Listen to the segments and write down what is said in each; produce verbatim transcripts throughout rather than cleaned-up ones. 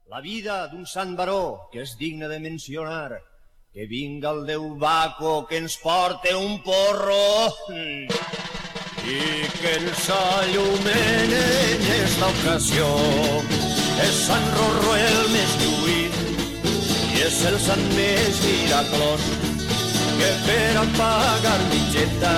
La vida d'un sant baró que és digne de mencionar, que vinga el Déu Baco que ens porte un porro i que ens allumene en esta ocasió. És Sant Rorro el més lluït i és el sant més miraculós, que per a pagar mitgeta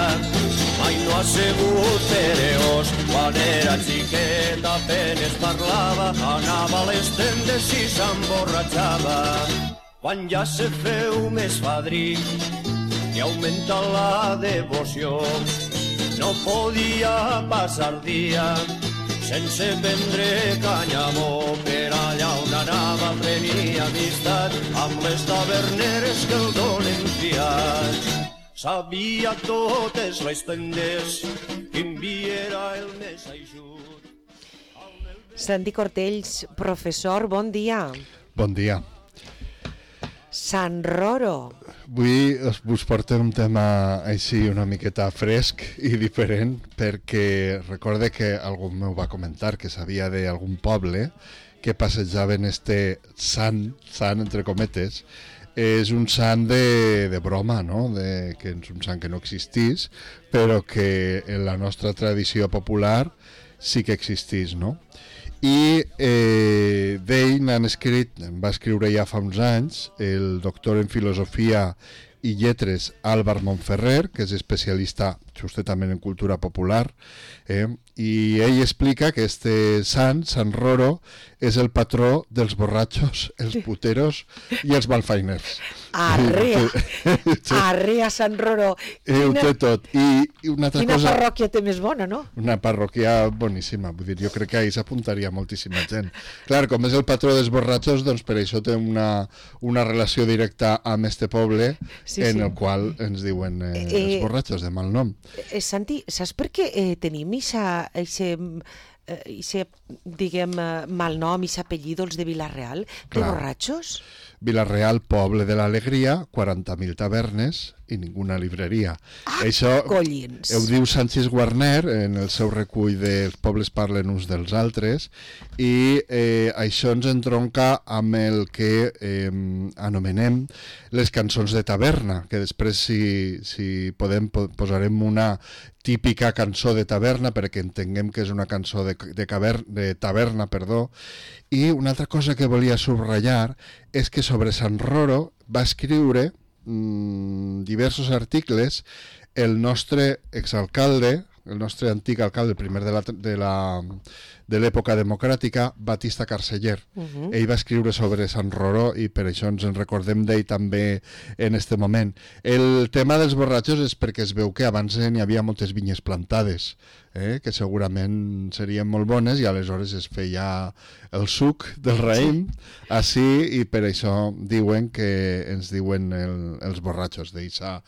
mai no ha sigut pereós. Quan era xiqueta apenes parlava, anava a les tendes i s'emborratxava. Quan ja se feu més fadrí i augmenta la devoció, no podia passar dia sense prendre canyamó. Per allà on anava prenia amistat amb les taverneres que el donen fiat. Sabia totes les tendes, quin vi era el més eixut. Santi Cortells, professor, bon dia. Bon dia. Sant Roro. Avui us porto un tema així una miqueta fresc i diferent, perquè recorde que algú m'ho va comentar, que sabia d'algun poble que passejaven este sant, sant entre cometes. És un sant de, de broma, no? De, que és un sant que no existís, però que en la nostra tradició popular sí que existís, no? I eh, d'ell n'han escrit, va escriure ja fa uns anys, el doctor en filosofia i lletres Álvar Montferrer, que és especialista justament en cultura popular, eh? I ell explica que este sant, Sant Roro, és el patró dels borratxos, els puteros i els malfainers. Arrea, arrea Sant Roro. Quina, ho té tot. I, i una altra quina cosa, parròquia té més bona, no? Una parròquia boníssima, vull dir, jo crec que ahir s'apuntaria moltíssima gent. Clar, com és el patró dels borratxos, doncs per això té una, una relació directa amb este poble, sí, en sí. el qual ens diuen eh, eh, els borratxos de mal nom. Eh, Santi, saps per què eh, tenim ixa, ixe, eh, ixe, diguem, mal nom, ixe apellido, els de Vila-real, de Clar. borratxos? Vila-real, poble de l'alegria, quaranta mil tavernes i ninguna libreria. Ah, això collins! Ho diu Sanchis Guarner en el seu recull dels pobles parlen uns dels altres, i eh, això ens entronca amb el que eh, anomenem les cançons de taverna, que després si, si podem posarem una típica cançó de taverna perquè entenguem que és una cançó de, de, caver, de taverna, perdó. I una altra cosa que volia subratllar és que sobre Sant Roro va escriure mmm, diversos articles el nostre exalcalde, el nostre antic alcalde, el primer de la, de la, de l'època democràtica, Batista Carceller. Uh-huh. Ell va escriure sobre Sant Roro i per això ens en recordem d'ell també en este moment. El tema dels borratxos és perquè es veu que abans n'hi havia moltes vinyes plantades, eh, que segurament serien molt bones, i aleshores es feia el suc del raïm així, i per això diuen que ens diuen el, els borratxos d'aquesta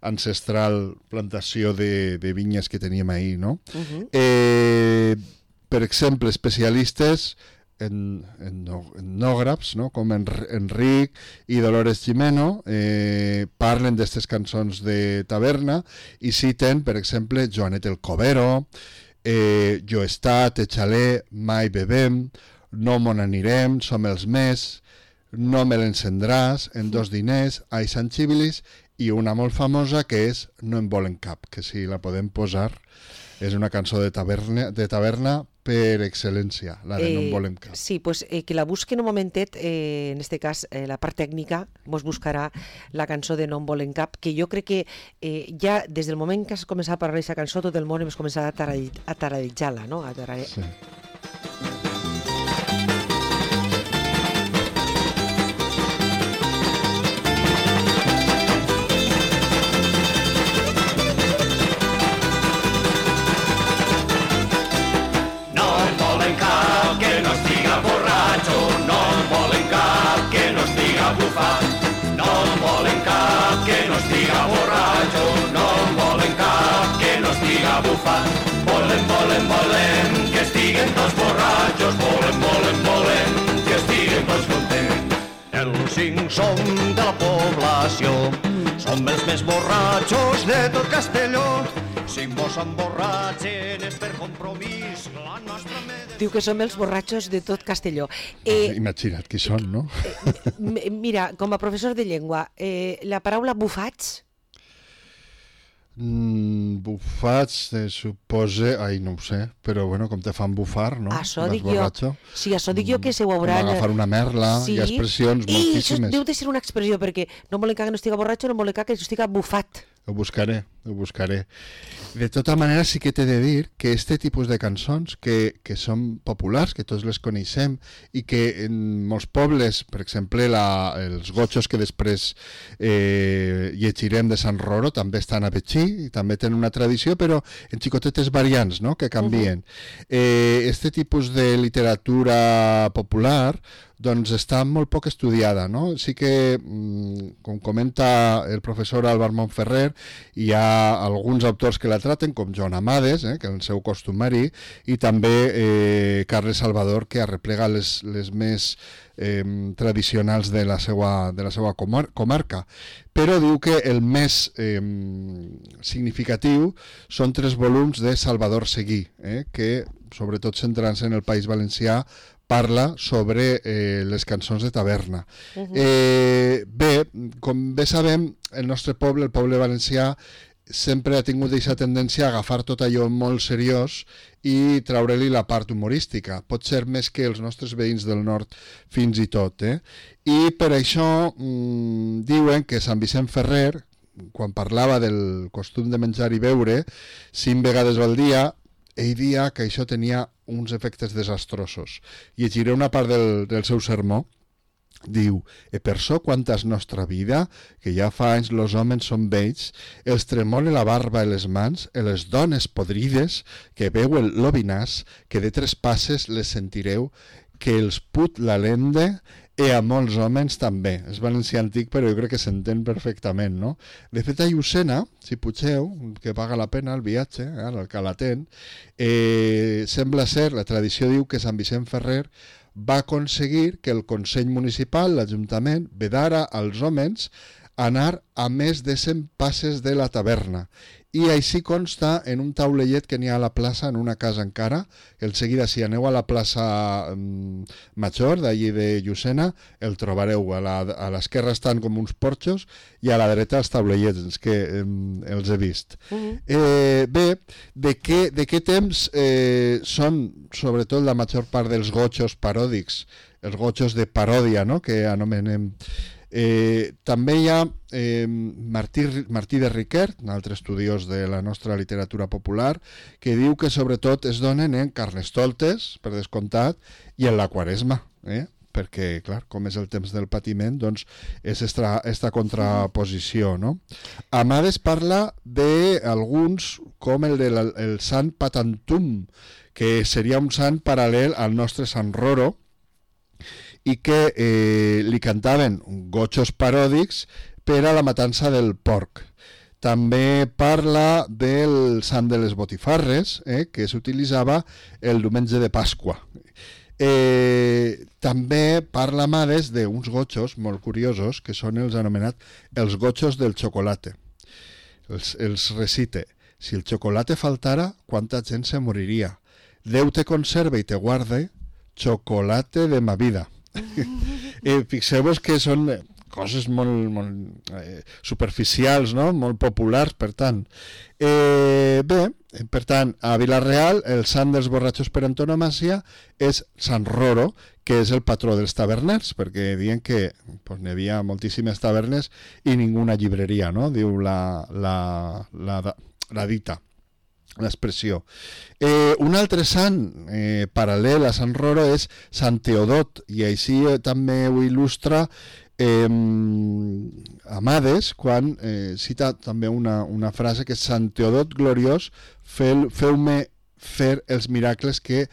ancestral plantació de, de vinyes que teníem ahir, no? Uh-huh. Eh, per exemple, especialistes en, en, en etnògrafs, no? Com en, Enric i Dolores Jimeno, eh, parlen d'aquestes cançons de taverna i citen, per exemple, Joanet el Covero, eh, Jo he estat, Echalé, Mai bebem, No mon anirem, Som els més, No me l'encendràs, En dos diners, Ai Sant Xibilis, i una molt famosa que és No en volen cap, que si la podem posar és una cançó de taverna, de taverna per excel·lència, la de eh, No en volem cap. Sí, pues, eh, que la busquen un momentet, eh, en este cas eh, la part tècnica mos buscarà la cançó de No en volem cap, que jo crec que eh, ja des del moment que has començat a parlar d'aquesta cançó tot el món hem començat a, taradi a taradejar-la, no? A tarade... Sí. No en volen cap que no estiga borratxo, no en volen cap que no estiga bufat. Volen, volen, volen que estiguen tots borratxos, volen, volen, volen que estiguen tots contents. Els cinc som de la població, som els més borratxos de tot Castelló. si mos emborratxen és per compromís, la nostra medecina... Diu que som els borratxos de tot Castelló. Eh, Imagina't qui són, no? eh, mira, com a professor de llengua, eh, la paraula bufats... Mm, bufats, eh, supose... Ai, no ho sé, però bueno, com te fan bufar, no? Això Vas dic jo. borratxo. Sí, això dic jo que se ho Com hauran... agafar una merla, Sí. hi ha expressions I això moltíssimes. deu de ser una expressió, perquè no volen que no estiga borratxo, no volen que estiga bufat. Ho buscaré, ho buscaré. De tota manera, sí que t'he de dir que este tipus de cançons que, que són populars, que tots les coneixem, i que en molts pobles, per exemple, la, els gotxos que després eh, llegirem de Sant Roro, també estan a Betxí, i també tenen una tradició, però en xicotetes variants, no?, que canvien. Uh-huh. eh, este tipus de literatura popular doncs està molt poc estudiada, no? Sí que, com comenta el professor Álvar Montferrer, hi ha alguns autors que la traten, com Joan Amades, eh, que és el seu costumari, i també eh, Carles Salvador, que arreplega les, les més eh, tradicionals de la seva, de la seva comar comarca. Però diu que el més eh, significatiu són tres volums de Salvador Seguí, eh, que, sobretot centrant-se en el País Valencià, parla sobre eh, les cançons de taverna. Uh-huh. eh, bé, com bé sabem, el nostre poble, el poble valencià, sempre ha tingut aquesta tendència a agafar tot allò molt seriós i treure-li la part humorística. Pot ser més que els nostres veïns del nord fins i tot. Eh? I per això mmm, diuen que Sant Vicent Ferrer, quan parlava del costum de menjar i beure cinc vegades al dia, ell dia que això tenia uns efectes desastrosos. Llegiré una part del, del seu sermó. Diu, e per so quanta és nostra vida, que ja fa anys los homes són vells, els tremole la barba i les mans, e les dones podrides, que veuen l'obinàs, que de tres passes les sentireu, que els put la lende, i a molts homes també. És valencià antic, però jo crec que s'entén perfectament, no? De fet, a Llucena, si pugeu, que paga la pena el viatge, eh, el Calatent, eh, sembla ser, la tradició diu que Sant Vicent Ferrer va aconseguir que el Consell Municipal, l'Ajuntament, vedara als homes anar a més de cent passes de la taverna. I així consta en un taulellet que n'hi ha a la plaça, en una casa encara. El seguida, si aneu a la plaça um, Major, d'allí de Llucena, el trobareu. A l'esquerra estan com uns porxos i a la dreta els taulellets, que um, els he vist. Uh-huh. eh, bé, de què, de què temps eh, són, sobretot, la major part dels gotxos paròdics, els gotxos de paròdia, no?, que anomenem... Eh, també hi ha eh, Martí, Martí de Riquert, un altre estudiós de la nostra literatura popular, que diu que sobretot es donen en Carnestoltes, per descomptat, i en la Quaresma, eh? perquè, clar, com és el temps del patiment, doncs és esta, esta contraposició, no? Amades parla d'alguns, com el del el Sant Patantum, que seria un sant paral·lel al nostre Sant Roro, i que eh, li cantaven gotxos paròdics per a la matança del porc. També parla del sant de les botifarres, eh, que s'utilitzava el diumenge de Pasqua. Eh, també parla Amades d'uns gotxos molt curiosos, que són els anomenats els gotxos del xocolate. Els, els recite. Si el xocolate faltara, quanta gent se moriria. Déu te conserva i te guarde, chocolate de ma vida. eh, fixeu-vos que són coses molt, molt eh, superficials, no? Molt populars, per tant. Eh, bé, per tant, a Vila-real el sant dels borratxos per antonomàsia és Sant Roro, que és el patró dels taverners, perquè diuen que pues, n'hi havia moltíssimes tavernes i ninguna llibreria, no? Diu la, la, la, la dita, l'expressió. Eh, un altre sant eh, paral·lel a Sant Roro és Sant Teodot, i així eh, també ho il·lustra eh, Amades, quan eh, cita també una, una frase que és Sant Teodot gloriós, feu-me fer els miracles que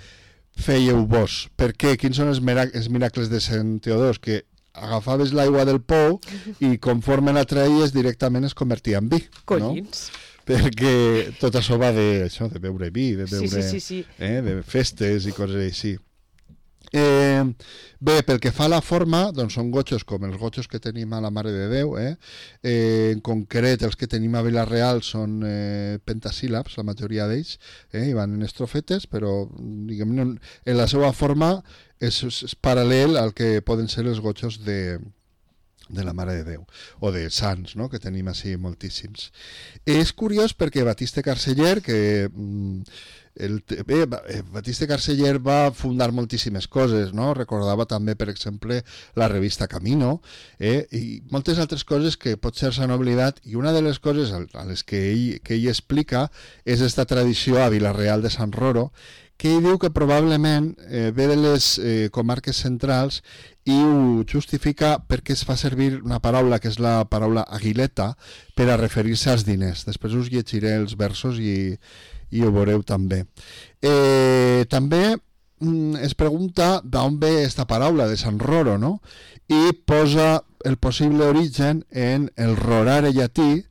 fèieu vos. Per què? Quins són els, els miracles de Sant Teodot? Que agafaves l'aigua del pou i conforme la traies directament es convertia en vi. Collins. No? Perquè tot això va de, això, de beure vi, de beure sí, sí, sí, sí. Eh, de festes i coses així. Eh, bé, pel que fa a la forma, doncs són gotxos com els gotxos que tenim a la Mare de Déu, eh? Eh, en concret els que tenim a Vila-real són eh, pentasíl·labs, la majoria d'ells, eh? I van en estrofetes, però diguem, en la seva forma és, és paral·lel al que poden ser els gotxos de, de la Mare de Déu, o de sants, no? Que tenim així moltíssims. És curiós perquè Batiste Carceller, que... Mm, El, bé, Batiste Carceller va fundar moltíssimes coses, no? Recordava també, per exemple, la revista Camino, eh? I moltes altres coses que potser s'han oblidat, i una de les coses a les que ell, que ell explica és aquesta tradició a Vila-real de Sant Roro, que ell diu que probablement eh, ve de les eh, comarques centrals i ho justifica perquè es fa servir una paraula que és la paraula aguileta per a referir-se als diners. Després us llegiré els versos i i ho veureu també. Eh, també mm, es pregunta d'on ve aquesta paraula de Sant Roro, no? I posa el possible origen en el rorare llatí,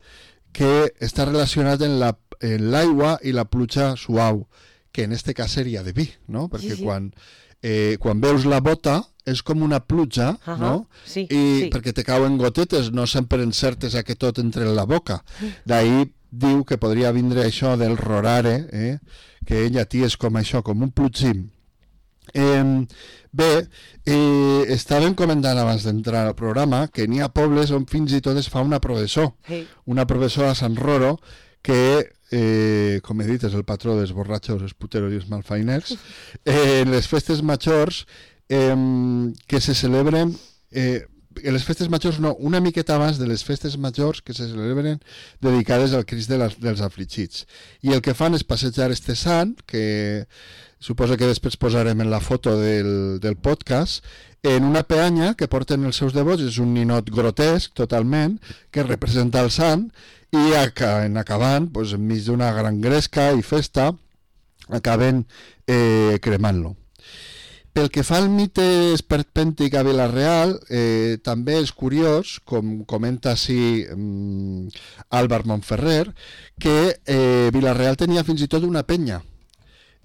que està relacionat en la, en l'aigua i la pluja suau, que en este cas seria de vi, no? Perquè sí, sí. Quan, eh, quan veus la bota és com una pluja, uh-huh. no? Sí, I sí. Perquè te cauen gotetes, no sempre encertes a que tot entre en la boca. D'ahir diu que podria vindre això del rorare, eh? Que en llatí és com això, com un plugim. Eh, bé, eh, estàvem comentant abans d'entrar al programa que n'hi ha pobles on fins i tot es fa una processó, hey. una processó a Sant Roro, que, eh, com he dit, és el patró dels borratxos, els puteros i els malfainers, eh, en les festes majors eh, que se celebren... Eh, en les festes majors no, una miqueta abans de les festes majors que se celebren dedicades al Crist de les, dels afligits. I el que fan és passejar este sant, que suposo que després posarem en la foto del, del podcast, en una peanya que porten els seus devots, és un ninot grotesc totalment, que representa el sant, i en acabant, doncs, enmig d'una gran gresca i festa, acaben eh, cremant-lo. Pel que fa al mite esperpèntic a Vila-real, eh, també és curiós, com comenta així um, Álvar Montferrer, que eh, Vila-real tenia fins i tot una penya.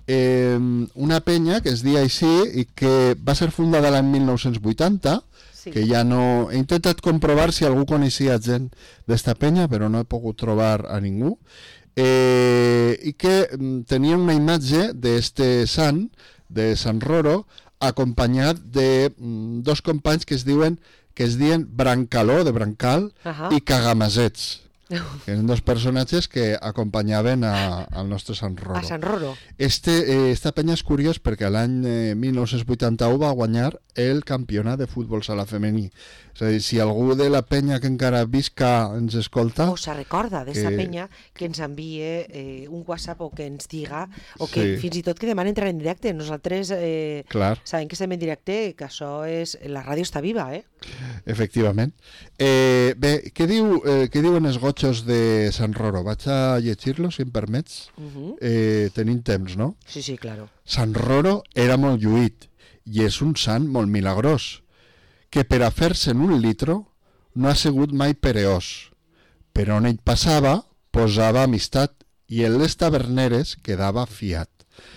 Eh, una penya que es deia així i que va ser fundada l'any mil nou-cents vuitanta, sí. Que ja no... He intentat comprovar si algú coneixia gent d'esta penya, però no he pogut trobar a ningú. Eh, I que um, tenia una imatge d'este sant, de Sant Roro, acompanyat de mm, dos companys que es diuen que es diuen Brancaló, de Brancal, uh-huh. i Cagamasets, que eren dos personatges que acompanyaven a, al nostre Sant Roro. A Sant Roro. Este, eh, esta penya és curiós perquè l'any eh, mil nou-cents vuitanta-u va guanyar el campionat de futbol sala femení. És a dir, si algú de la penya que encara visca ens escolta... O se recorda d'esta que... penya, que ens envie eh, un WhatsApp o que ens diga, o que sí. fins i tot que demana entrar en directe. Nosaltres eh, sabem que estem en directe, que això és... La ràdio està viva, eh? Efectivament. Eh, bé, què, diu, eh, què diuen els gotxos de Sant Roro? Vaig a llegir-los, si em permets. Uh-huh. eh, tenim temps, no? Sí, sí, claro. Sant Roro era molt lluït i és un sant molt milagrós, que per a fer-se en un litro no ha sigut mai pereós. Per on ell passava, posava amistat i en les taverneres quedava fiat.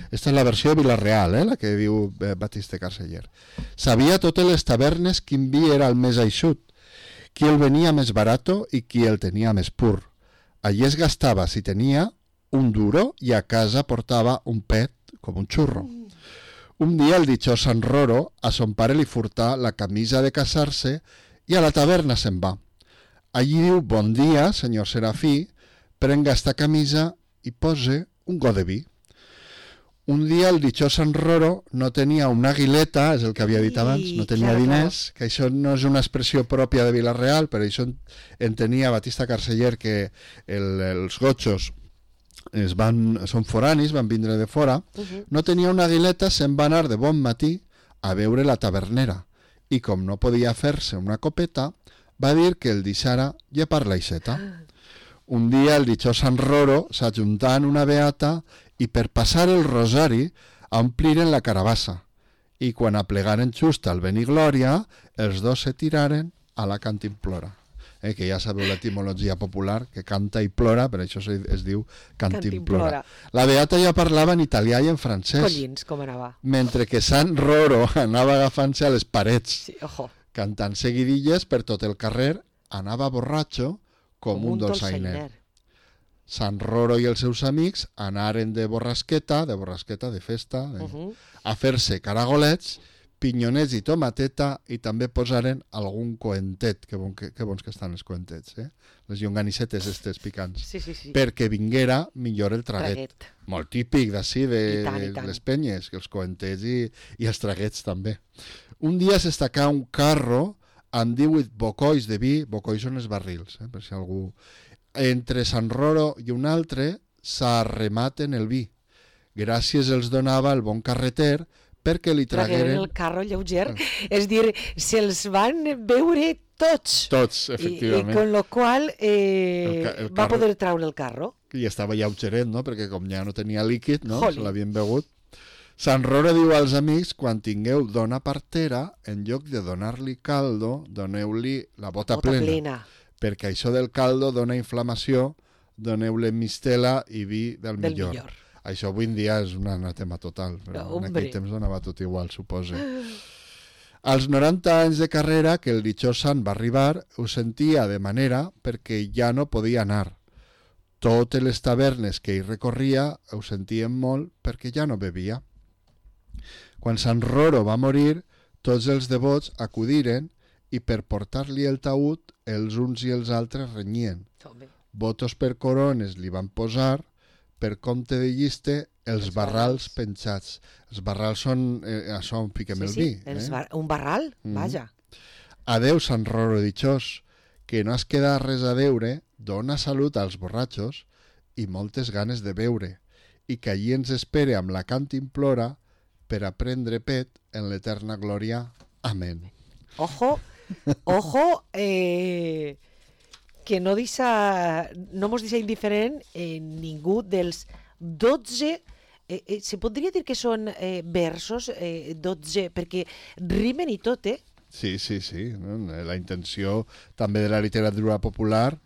Esta és la versió de Vila-real, eh, la que diu Batiste Carceller. Sabia totes les tavernes quin vi era el més eixut, qui el venia més barato i qui el tenia més pur. Allí es gastava, si tenia, un duro i a casa portava un pet com un xurro. Un dia el dichós Sant Roro a son pare li furtà la camisa de casar-se i a la taverna se'n va. Allí diu, bon dia, senyor Serafí, prenga esta camisa i pose un got de vi. Un dia el dichós Sant Roro no tenia una aguileta, és el que havia dit abans, no tenia claro, diners, claro. Que això no és una expressió pròpia de Vila-real, però això entenia Batiste Carceller que el, els gotxos es van, són foranis, van vindre de fora, uh-huh. No tenia una aguileta, se'n va anar de bon matí a veure la tavernera i com no podia fer-se una copeta, va dir que el deixara llepar l'aixeta. Un dia el dichós Sant Roro s'ajuntà en una beata i per passar el rosari ompliren la carabassa i quan aplegaren just al Beniglòria els dos se tiraren a la cantimplora. eh, que ja sabeu l'etimologia popular, que canta i plora, per això es, es diu cantimplora. La Beata ja parlava en italià i en francès. Collins, com anava. Mentre que Sant Roro anava agafant-se a les parets, Sí, ojo. cantant seguidilles per tot el carrer, anava borratxo com, com un, un dolçainer. dolçainer. Sant Roro i els seus amics anaren de borrasqueta, de borrasqueta, de festa, de, uh -huh. a fer-se caragolets, pinyonets i tomateta, i també posaren algun coentet, que, bon, que, que bons que estan els coentets, eh? Les llonganissetes estes picants, sí, sí, sí. perquè vinguera millor el traguet. traguet. Molt típic d'ací, de, I tant, i de tant. les penyes, que els coentets i, i els traguets també. Un dia s'estacà un carro amb divuit bocois de vi, bocois són els barrils, eh? Per si algú... Entre Sant Roro i un altre s'arrematen el vi. Gràcies els donava el bon carreter perquè li tragueren... el carro lleuger, ah. és dir, se'ls van beure tots. Tots, efectivament. I, i con lo qual eh, el ca el va carro... poder traure el carro. I estava lleugeret, no? Perquè com ja no tenia líquid, no? Joli. Se l'havien begut. Sant Roro diu als amics, quan tingueu dona partera, en lloc de donar-li caldo, doneu-li la bota, bota plena. plena. Perquè això del caldo dona inflamació, doneu-li mistela i vi del, del millor. millor. Això avui en dia és un anatema total, però no, en aquell temps donava tot igual, suposo. Als noranta anys de carrera que el ditxós sant va arribar, ho sentia de manera perquè ja no podia anar. Totes les tavernes que hi recorria ho sentien molt perquè ja no bevia. Quan Sant Roro va morir, tots els devots acudiren i per portar-li el taüt els uns i els altres renyien. Votos per corones li van posar, per compte de lliste, els, els barrals penjats. Els barrals són eh, això on fiquem sí, el sí, vi. Els eh? bar un barral, mm. vaja. Adeu, Sant Roro ditxós, que no has quedat res a deure, dona salut als borratxos i moltes ganes de beure, i que allí ens espere amb la cantimplora per a prendre pet en l'eterna glòria. Amén. Ojo, ojo, eh, que no deixa, no mos deixa indiferent eh, ningú dels dotze, eh, eh, se podria dir que són eh, versos, eh, dotze, perquè rimen i tot, eh? Sí, sí, sí. La intenció també de la literatura popular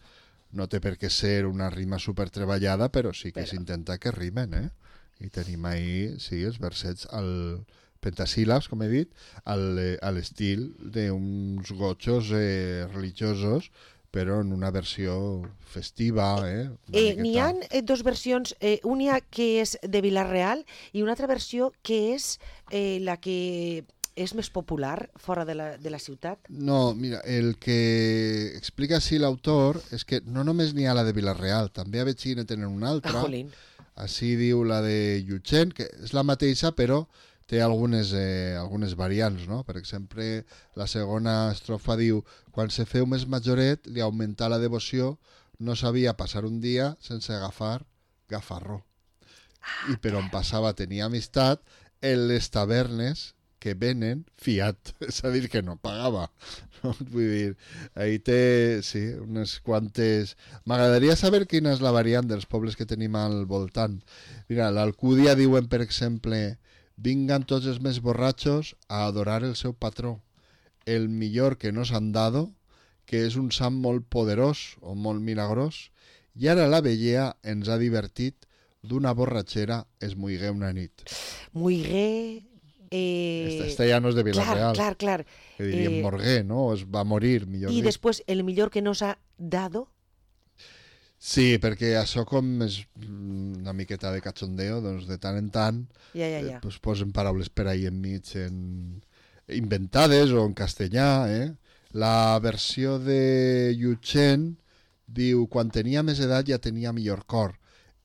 no té per què ser una rima supertreballada, però sí que s'intenta que rimen, eh? I tenim ahí, sí, els versets al pentasíl·labs, com he dit, al, a l'estil d'uns gotxos eh, religiosos, però en una versió festiva. Eh? Eh, N'hi ha eh, dos versions, eh, una que és de Vila-real i una altra versió que és eh, la que és més popular fora de la, de la ciutat. No, mira, el que explica així l'autor és que no només n'hi ha la de Vila-real, també a Betxí ne tenen una altra. Jolín. Així diu la de Llutxent, que és la mateixa, però té algunes, eh, algunes variants, no? Per exemple, la segona estrofa diu: quan se feu més majoret, li augmentà la devoció, no sabia passar un dia sense agafar gafarró. Ah, I per on passava tenia amistat en les tavernes que venen fiat, és a dir, que no pagava. No? Vull dir, ahí té, sí, unes quantes... M'agradaria saber quina és la variant dels pobles que tenim al voltant. Mira, l'Alcúdia diuen, per exemple: vingan tots els més borratxos a adorar el seu patró, el millor que nos han dado, que és un sant molt poderós o molt milagrós, i ara la vellea ens ha divertit, d'una borratxera es muigué una nit. Muigué... Eh... Esta, esta ja no és de Vila-real. Clar, clar, clar. Que diríem eh... morgué, no? Es va morir, millor I dit. després, el millor que nos ha dado... Sí, perquè això com és una miqueta de cachondeo, doncs de tant en tant ja, ja, ja. Eh, pues posen paraules per ahí enmig en... inventades o en castellà. Eh? La versió de Llutxent diu: quan tenia més edat ja tenia millor cor,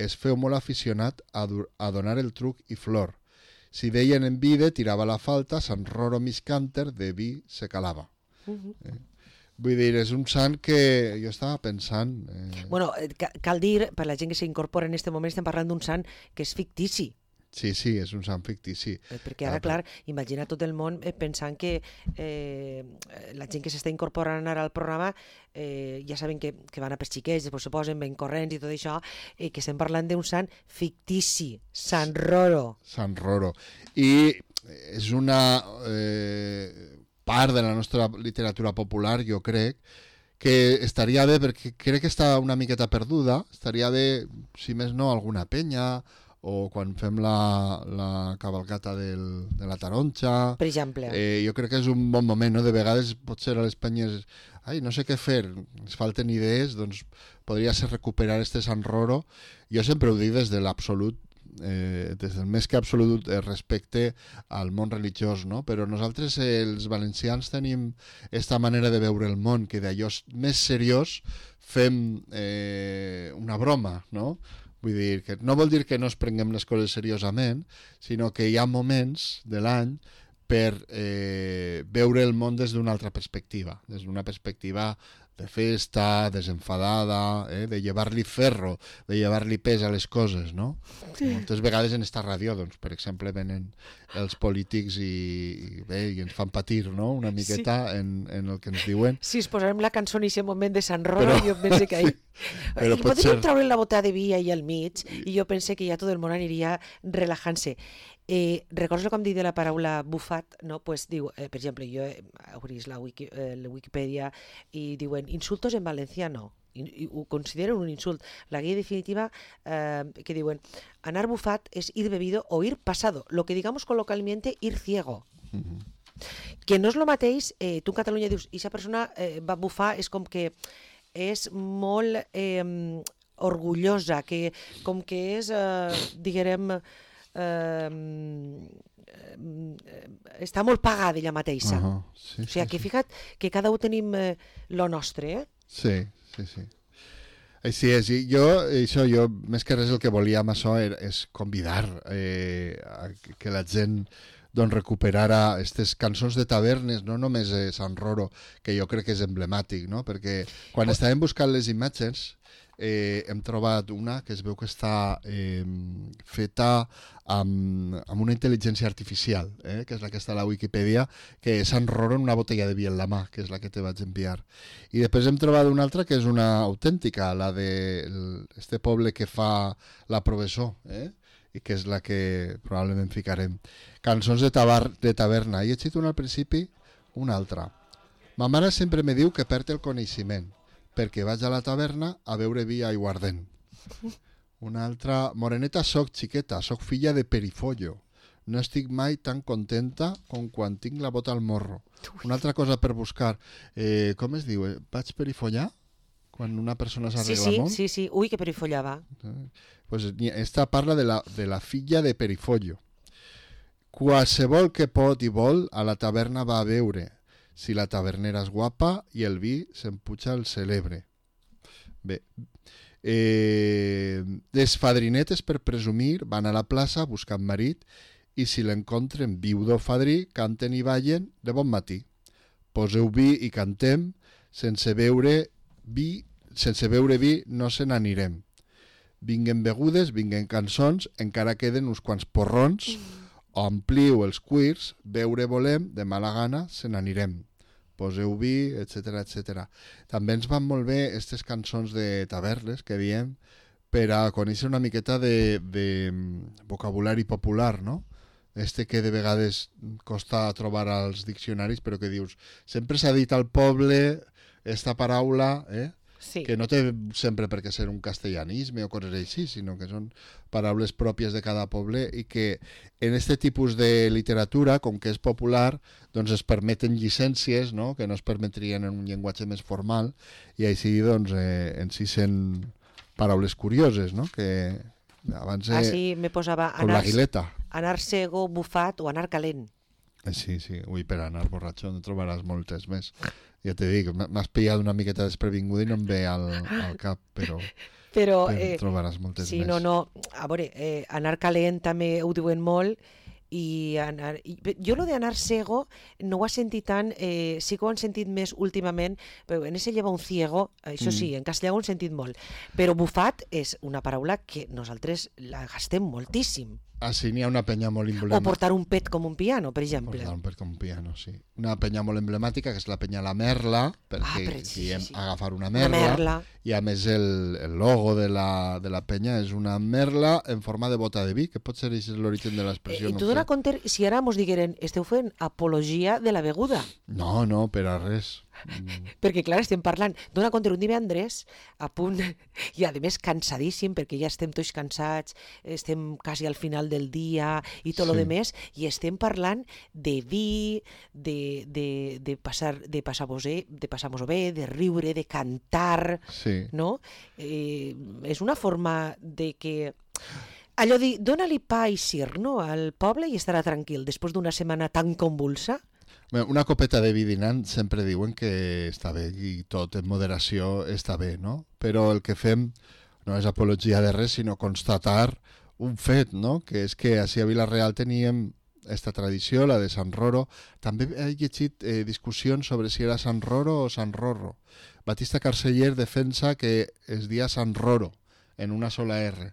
es feu molt aficionat a, a donar el truc i flor. Si deien en vide, tirava la falta, Sant Roro miscànter de vi se calava. Uh -huh. eh? Vull dir, és un sant que jo estava pensant... Eh... Bueno, cal dir, per la gent que s'incorpora en aquest moment, estem parlant d'un sant que és fictici. Sí, sí, és un sant fictici. Perquè ara, clar, imagina tot el món eh, pensant que eh, la gent que s'està incorporant ara al programa eh, ja saben que, que van a per xiquets, després se posen ben corrents i tot això, eh, que estem parlant d'un sant fictici, Sant Roro. Sant Roro. I és una eh, part de la nostra literatura popular, jo crec, que estaria bé, perquè crec que està una miqueta perduda, estaria bé, si més no, alguna penya, o quan fem la, la cavalcata del, de la taronja. Per exemple. Eh, jo crec que és un bon moment, no? De vegades potser a les penyes, ai, no sé què fer, ens falten idees, doncs podria ser recuperar este Sant Roro. Jo sempre ho dic des de l'absolut, eh, des del més que absolut eh, respecte al món religiós, no? Però nosaltres, eh, els valencians, tenim esta manera de veure el món, que d'allò més seriós fem eh, una broma, no? Vull dir, que no vol dir que no es prenguem les coses seriosament, sinó que hi ha moments de l'any per eh, veure el món des d'una altra perspectiva, des d'una perspectiva de festa, desenfadada, eh, de llevar-li ferro, de llevar-li pes a les coses, no? Sí. Moltes vegades en esta ràdio, doncs, per exemple, venen els polítics i, i, bé, i ens fan patir, no?, una miqueta sí. en, en el que ens diuen. Si es posarem la cançó en aquest moment de Sant Roro, jo pense que ahí... Però I potser... podríem treure la bota de vi ahí al mig, i jo pense que ja tot el món aniria relajant-se. Eh, recordes com dic de la paraula bufat, no? Pues diu, eh, per exemple, jo he obrit la, Wiki, eh, la Wikipedia i diuen insultos en valenciano, i, i ho consideren un insult. La guia definitiva eh, que diuen anar bufat es ir bebido o ir pasado, lo que digamos coloquialmente ir ciego. Uh-huh. Que no és lo mateix, eh, tu en Catalunya dius, i esa persona eh, va bufar, és com que és molt eh, orgullosa, que com que és, eh, diguem, Uh, està molt pagada ella mateixa. Uh-huh. Sí, o sigui, sí, que fica't que cada un tenim eh, lo nostre, eh? Sí, sí, sí. Així és, i jo, això, jo, més que res el que volia amb això era, és convidar eh, a que la gent doncs recuperara aquestes cançons de tavernes, no només eh, Sant Roro, que jo crec que és emblemàtic, no? Perquè quan estàvem buscant les imatges eh, hem trobat una que es veu que està eh, feta amb, amb una intel·ligència artificial, eh, que és la que està a la Wikipedia, que és Sant Roro en una botella de vi en la mà, que és la que te vaig enviar. I després hem trobat una altra que és una autèntica, la de este poble que fa la Provessó, eh? I que és la que probablement ficarem. Cançons de, tabar, de taverna. I he llegit una al principi, una altra. Ma mare sempre me diu que perd el coneixement, perquè vaig a la taverna a beure vi i aiguardent. Una altra, moreneta soc, xiqueta, soc filla de Perifollo. No estic mai tan contenta com quan tinc la bota al morro. Una altra cosa per buscar, eh, com es diu? Vaig perifollar? Quan una persona s'arregla sí, sí, molt? Sí, sí, ui, que perifollava. Eh, pues esta parla de la, de la filla de Perifollo. Qualsevol que pot i vol a la taverna va a beure, si la tavernera és guapa i el vi s'empuja el celebre. Bé, eh, les fadrinetes per presumir van a la plaça buscant marit i si l'encontren viudo o fadrí canten i ballen de bon matí. Poseu vi i cantem, sense beure vi, sense beure vi no se n'anirem. Vinguen begudes, vinguen cançons, encara queden uns quants porrons, ompliu els cuirs, beure volem, de mala gana se n'anirem. Poseu vi, etcètera, etcètera. També ens van molt bé aquestes cançons de tavernes que diem per a conèixer una miqueta de, de vocabulari popular, no? Este que de vegades costa trobar als diccionaris, però que dius, sempre s'ha dit al poble esta paraula, eh? Sí. Que no té sempre per què ser un castellanisme o coses així, sinó que són paraules pròpies de cada poble i que en aquest tipus de literatura, com que és popular, doncs es permeten llicències, no?, que no es permetrien en un llenguatge més formal, i així doncs eh, en si sent paraules curioses, no?, que abans... Eh, així me posava anar, l'aguileta. Anar cego, bufat o anar calent. Sí, sí, ui, per anar borratxo en trobaràs moltes més. Ja te dic, m'has pillat una miqueta desprevinguda i no em ve al, al cap, però, però, però eh, trobaràs moltes sí, més. No, no, a veure, eh, anar calent també ho diuen molt, i, anar, i jo lo d'anar cego no ho he sentit tant, eh, sí que ho han sentit més últimament, però en ese lleva un ciego, això sí, mm. en castellà ho han sentit molt, però bufat és una paraula que nosaltres la gastem moltíssim. Ah, sí, n'hi ha una penya molt emblemàtica. O portar un pet com un piano, per exemple. Portar un pet com un piano, sí. Una penya molt emblemàtica, que és la penya La Merla, perquè ah, sí, diem sí, sí. agafar una merla, una merla, i a més el, el logo de la, de la penya és una merla en forma de bota de vi, que pot ser l'origen de l'expressió. Eh, I no tu dona compte, si ara mos digueren, esteu fent apologia de la beguda. No, no, per a res. Mm. Perquè, clar, estem parlant d'una contra un divendres a punt i, a més, cansadíssim, perquè ja estem tots cansats, estem quasi al final del dia i tot Sí. lo de més, i estem parlant de vi, de, de, de passar de passar-vos de passar-vos bé, de riure, de cantar, Sí. no? Eh, és una forma de que... Allò de dona-li pa i cir, no?, al poble i estarà tranquil després d'una setmana tan convulsa. Bé, una copeta de vi dinant sempre diuen que està bé i tot en moderació està bé, no? Però el que fem no és apologia de res, sinó constatar un fet, no? Que és que així a Vila-real teníem esta tradició, la de Sant Roro. També he llegit eh, discussions sobre si era Sant Roro o Sant Rorro. Batista Carceller defensa que es dia Sant Roro, en una sola R.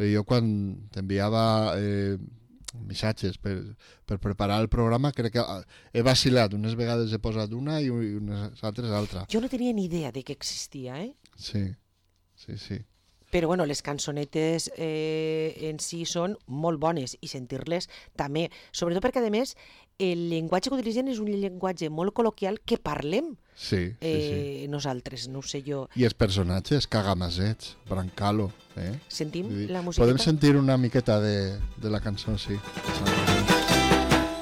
Però jo quan t'enviava eh, missatges per, per preparar el programa crec que he vacilat. Unes vegades he posat una i unes altres altra. Jo no tenia ni idea de que existia, eh? Sí, sí, sí. Però bueno, les cançonetes eh, en si són molt bones i sentir-les també, sobretot perquè, a més, el llenguatge que utilitzen és un llenguatge molt col·loquial que parlem Sí, sí, eh, sí. nosaltres, no ho sé jo. I els personatges, Cagamasets, Brancalo. Eh? Sentim Vull dir, la musiqueta? podem sentir una miqueta de, de la cançó, sí.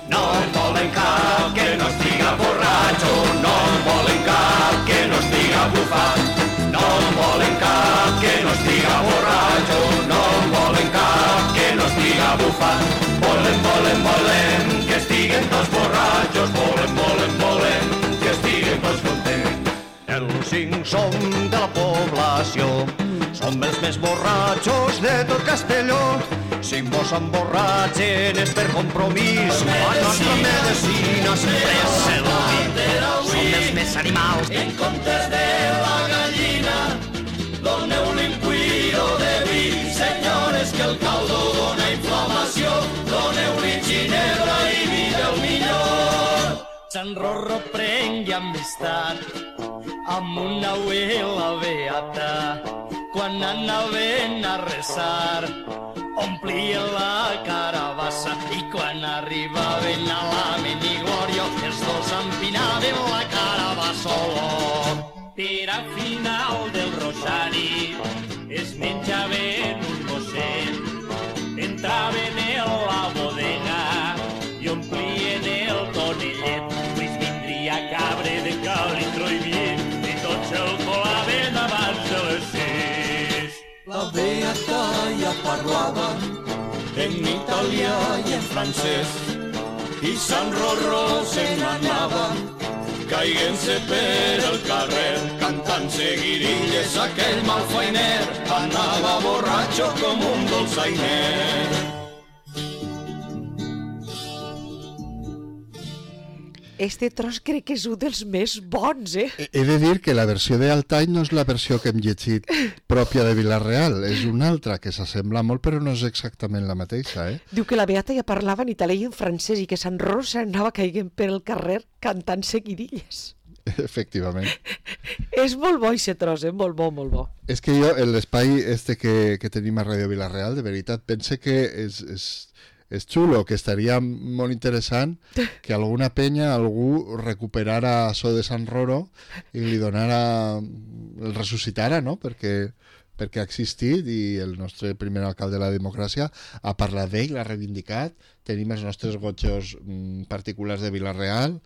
No em volen cap que no estiga borratxo, no em volen cap que no estiga bufat. No em volen cap que no estiga borratxo, no em volen cap que no estiga bufat. Volen, volen, volen que estiguen tots borratxos, volen, volen, volen que estiguen tots contents. Els cinc som de la població, som els més borratxos de tot Castelló. Si vos emborratxen és per compromís, la nostra medicina sempre és seduir. Som els més animals. En comptes de la gallina, doneu-li un cuiro de vi. Senyores, que el caldo dona inflamació, doneu-li ginebra i vi del millor. Sant Rorro prengui amistat amb una abuela beata. Quan anaven a resar, omplien la carabassa i quan arribaven a la Menigloria els dos empinaven la carabassa. Per al final del rosari es menjaven un gosset, entraven a la bodega i omplien el tonellet. Pues vindria cabre de calitro i bien i tots el colaven abans de les sis. La beata ja parlava en italià i en francès i Sant Rorro se n'anava caient-se per el carrer cantant seguidilles. Aquell malfeiner anava borratxo com un dolçainer. Este tros crec que és un dels més bons, eh? He de dir que la versió de Altai no és la versió que hem llegit pròpia de Vila-real, és una altra que s'assembla molt però no és exactament la mateixa, eh? Diu que la Beata ja parlava en italià i en francès i que Sant Rorro s'anava caient per el carrer cantant seguidilles. Efectivament. És molt bo aquest tros, eh? Molt bo, molt bo. És que jo, en l'espai este que, que tenim a Ràdio Vila-real, de veritat, pense que és, és, és xulo, que estaria molt interessant que alguna penya, algú recuperara això de Sant Roro i li donara, el ressuscitara, no? Perquè, perquè ha existit i el nostre primer alcalde de la democràcia ha parlat d'ell, l'ha reivindicat, tenim els nostres gotxos mm, particulars de Vila-real.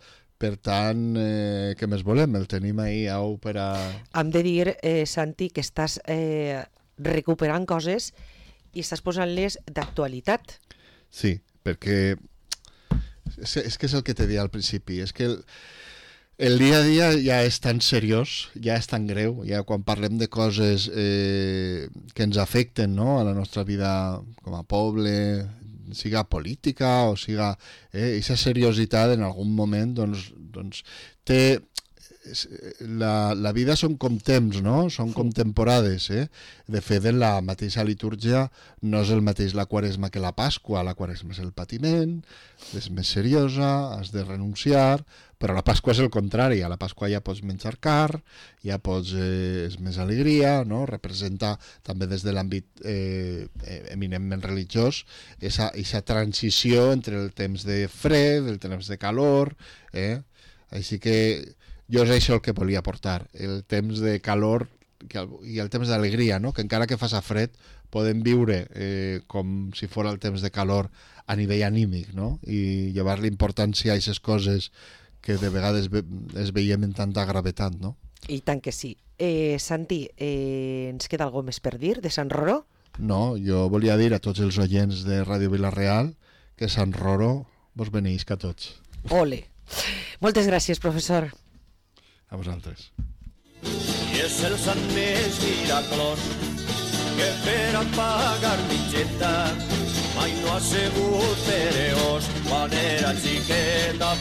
Per tant, eh, què més volem? El tenim ahí au per a... Hem de dir, eh, Santi, que estàs eh, recuperant coses i estàs posant-les d'actualitat. Sí, perquè és, és que és el que te deia al principi, és que el, el dia a dia ja és tan seriós, ja és tan greu, ja quan parlem de coses eh, que ens afecten, no?, a la nostra vida com a poble, siga política o siga... Eh, aquesta seriositat en algun moment doncs, doncs té... La, la vida són com temps, no? Són com temporades, eh? De fet, en la mateixa litúrgia no és el mateix la Quaresma que la Pasqua. La Quaresma és el patiment, és més seriosa, has de renunciar, però la Pasqua és el contrari. A la Pasqua ja pots menjar car, ja pots... Eh, és més alegria, no? Representa també des de l'àmbit eh, eminentment religiós aquesta transició entre el temps de fred, el temps de calor, eh? Així que Jo és això el que volia portar, el temps de calor i el temps d'alegria, no? Que encara que faça fred podem viure eh, com si fos el temps de calor a nivell anímic, no? I llevar-li importància a aquestes coses que de vegades ve es veiem en tanta gravetat, no? I tant que sí. Eh, Santi, eh, ens queda alguna més per dir de Sant Roró? No, jo volia dir a tots els oients de Ràdio Vila-real que Sant Roró vos beneïsca a tots. Ole! Moltes gràcies, professor. A vosaltres. I és el sant més miraculós que per a pagar mitgeta mai no ha sigut pereós quan era xiqueta.